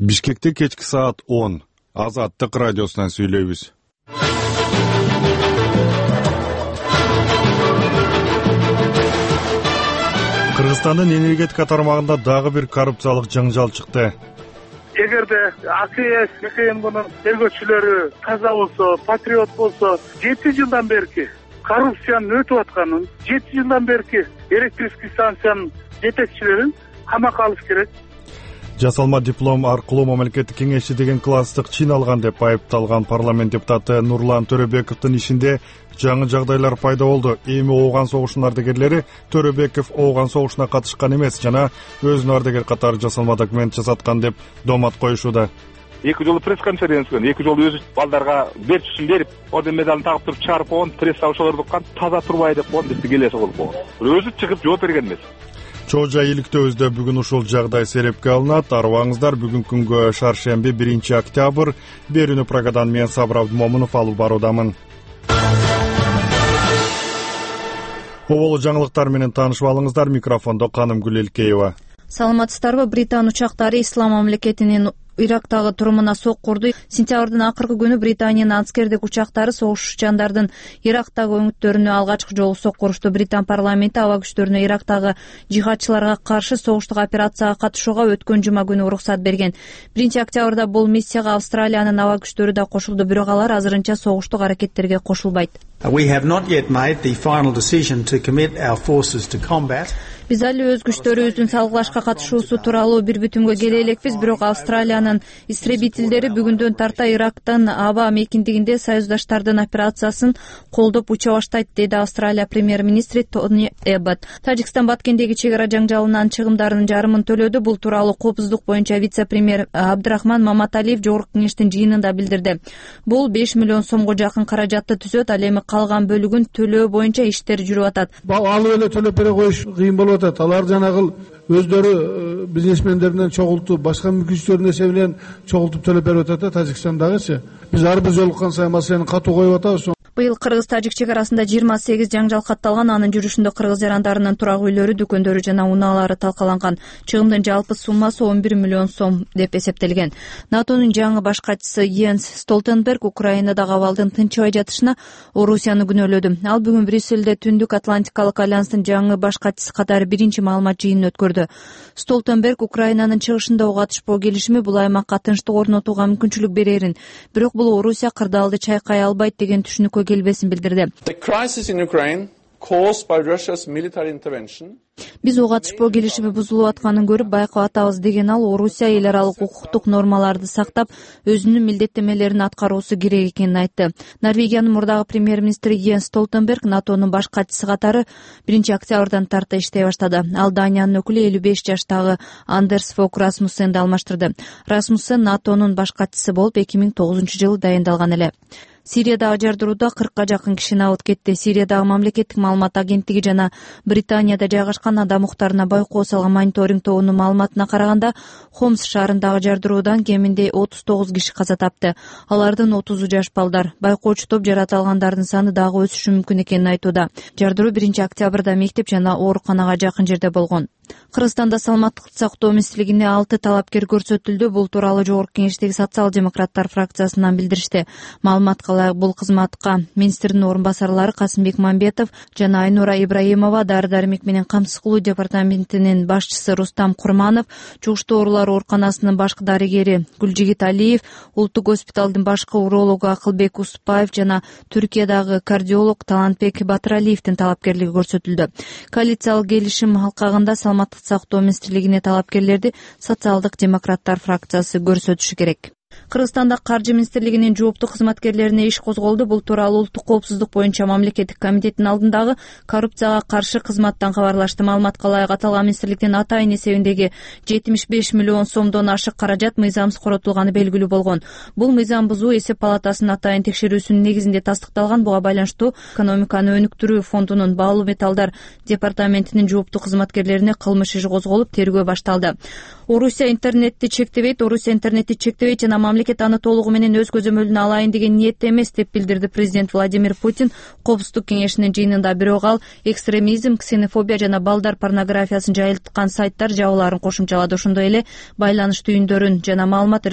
Бишкекте кечки саат 10. Азаттык радиосунан сүйлөйбүз. Кыргызстандын энергетика тармагында дагы бир коррупциялык жаңжал чыкты. Эгерде АКС КМГнын тергөөчүлөрү таза болсо, патриот болсо, 7 жылдан берки коррупциянын өтүп атканын, 7 жылдан берки электрический станциянын жетекчилерин камакка алыш керек. Жасалма диплом аркылуу мамлекеттик кеңешчи деген класстык чин алган деп айыпталган парламент депутаты Нурлан Төрөбековдун ишинде жаңы жагдайлар пайда болду. Эми Ооган согушунун ардагерлери Төрөбеков Ооган согушуна катышкан эмес жана өзүнүн ардагер катары жасалма документ жасаткан деп домат коюшууда. 2 жолу пресс-конференция, 2 жолу өзү балдарга берчүсүн берип, орден медалын тагып туруп чыгарып койгон, пресс ошолорду уккан таза турбай деп койгон, бизди келеси кылып койгон. Өзү чыгып жооп берген эмес. Чоо Жай иликтөөбүздө бүгүн ушул жагдай серепке алынат. Арыбаңыздар, бүгүн күнгө шаршемби 1 октябрь. Берүүнү Прагадан мен Сабыр Абдымомунов алып баруудамын. Оболу жаңылыктар менен таанышып алыңыздар. Микрофондо Канымгүл Элкеева. Саламатсыздарбы? Британ учактары Ислам мамлекетинин Ирактагы турумуна соккурду. Сентябрдын акыркы күнү Британиянын аскердик учактары согушчандардын Ирактагы өңүттөрүнө алгачкы жолу соккурушту. Британ парламенти аба күчтөрүнө Ирактагы жихадчыларга каршы согуштук операцияга катышууга өткөн жума күнү уруксат берген. 1 октябрда бул миссияга Австралиянын аба күчтөрү да кошулду, бирок алар азырынча согуштук аракеттерге кошулбайт. We have not yet made the final decision to commit our forces to combat. Биз али өз күчтөрүбүздүн салгылашка катышуусу тууралуу бир бүтүмгө келе элекпиз, бирок Австралиянын истребительдери бүгүндөн тарта Ирактын аба мейкиндигинде союздаштардын операциясын колдоп уча баштайт, деди Австралия премьер-министри Тони Эббот. Тажикстан Баткендеги чек ара жаңжалынан чыгымдарынын жарымын төлөдү. Бул тууралуу коопсуздук боюнча вице-премьер Абдрахман Маматалиев жогорку кеңештин жыйынында билдирди. Бул 5 миллион сомго жакын каражатты түзөт, ал эми калган бөлүгүн төлөө боюнча иштер жүрүп атат. Алып эле төлөп бере коюш кыйын болуп атат. Алар жанагыл өздөрү бизнесмендеринен чогултуп, башка мүмкүнчүлөрдүн эсебинен чогултуп төлөп берип атат Тажикстандагычы. Биз ар бир жолуккан сайын маселени катуу коюп атабыз. Быйыл кыргыз-тажик чек арасында 28 жаңжал катталган. Анын жүрүшүндө кыргыз жарандарынын турак үйлөрү, дүкөндөрү жана унаалары талкаланган. Чыгымдын жалпы суммасы 11 миллион сом деп эсептелген. НАТОнун жаңы баш катчысы Йенс Столтенберг Украинадагы абалдын тынчыбай жатышына Орусияны күнөөлөдү. Ал бүгүн Брюссельде Түндүк Атлантикалык альянстын жаңы баш катчысы катары биринчи маалымат жыйынын өткөрдү. Столтенберг Украинанын чыгышында ого катышпоо келишими бул аймакка тынчтык орнотууга мүмкүнчүлүк берерин, бирок бул Орусия кырдаалды чайкай албайт деген түшүнүккө келбесин билдирди. Биз ого катышпоо келишими бузулуп атканын көрүп байкап атабыз деген ал, Орусия эл аралык укуктук нормаларды сактап, өзүнүн милдеттемелерин аткаруусу керек экенин айтты. Норвегиянын мурдагы премьер-министри Йенс Столтенберг НАТОнун баш катчысы катары 1 октябрдан тарта иштей баштады. Ал Даниянын өкүлү 55 жаштагы Андерс Фок Расмуссенди алмаштырды. Расмуссен НАТОнун баш катчысы болуп 2009-жылы дайындалган эле. Сириядагы жардырууда 40ка жакын киши абыт кетти. Сириядагы мамлекеттик маалымат агенттиги жана Британияда жайгашкан адам укуктарына байкоо салган мониторинг тобунун маалыматына караганда, Хомс шаарындагы жардыруудан кеминде 39 киши каза тапты. Алардын 30-у жаш балдар. Байкоочу топ жарата алгандардын саны дагы өсүшү мүмкүн экенин айтууда. Жардыруу 1 октябрда мектеп жана ооруканага жакын жерде болгон. Кыргызстанда саламаттык сактоо министрлигине 6 талапкер көрсөтүлдү. Бул тууралуу жогорку кеңештеги социал-демократтар фракциясынан билдиришти. Маалыматка ылайык бул кызматка министрдин орун басарлары Касымбек Мамбетов жана Айнура Ибраимова, дары-дармек менен камсыз кылуу департаментинин башчысы Рустам Курманов, чугуштуу оорулар ооруканасынын башкы дарыгери Гүлжигит Алиев, улуттук госпиталдын башкы урологу Акылбек Уступаев жана Түркиядагы кардиолог Талантбек Батыралиевдин талапкерлиги көрсөтүлдү. Коалициялык келишим алкагында саламаттык сактоо министрлигине талапкерлерди социалдык демократтар фракциясы көрсөтүшү керек. Кыргызстанда каржы министрлигинин жооптуу кызматкерлерине иш козголду. Бул тууралуу улуттук коопсуздук боюнча мамлекеттик комитеттин алдындагы коррупцияга каршы кызматтан кабарлашты. Маалыматка ылайык аталган министрликтин атайын эсебиндеги 75 миллион сомдон ашык каражат мыйзамсыз коротулганы белгилүү болгон. Бул мыйзам бузуу эсеп палатасынын атайын текшерүүсүнүн негизинде тастыкталган. Буга байланыштуу экономиканы өнүктүрүү фондунун баалуу металлдар департаментинин жооптуу кызматкерлерине кылмыш иши козголуп, тергөө башталды. Орусия интернетти чектебейт жана мамлекет аны толугу менен өз көзөмөлүнө алайын деген ниетте эмес деп билдирди президент Владимир Путин. Коопсуздук кеңешинин жыйынында. Бирок ал экстремизм, ксенофобия жана балдар порнографиясын жайылткан сайттар жабууларын кошумчалады. Ошондой эле байланыш түйүндөрүн жана маалымат